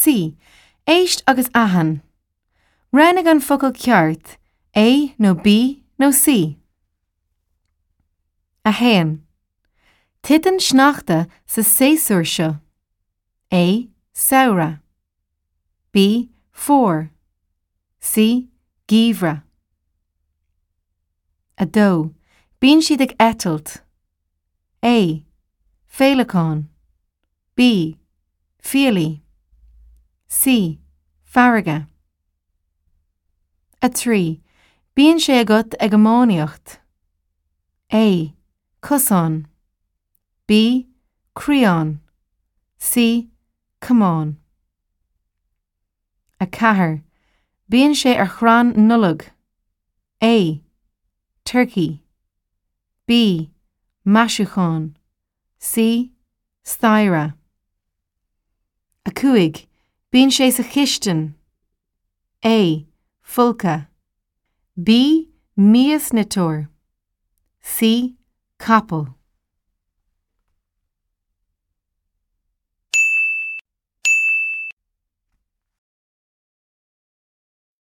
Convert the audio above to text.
C. Éist agus aithin. Roghnaigh an focal ceart, A nó B nó C. 1. Titeann sneachta sa séasúr seo. A. Samhradh. B. Fómhar. C. Geimhreadh. 2. Bíonn siad ag eitilt. A. Féileacáin. B. Fiailí. C. Farraige. 3. Bíonn sé agat ag iománaíocht. A. Cosán. B. Crián. C. Camán. 4. Bíonn sé ar chrann Nollag. A. Turcaí. B. Maisiúchán. C. Staighre. 5. Bíonn sé sa chistin. A. Folcadh. B. Miasniteoir. C. Capall.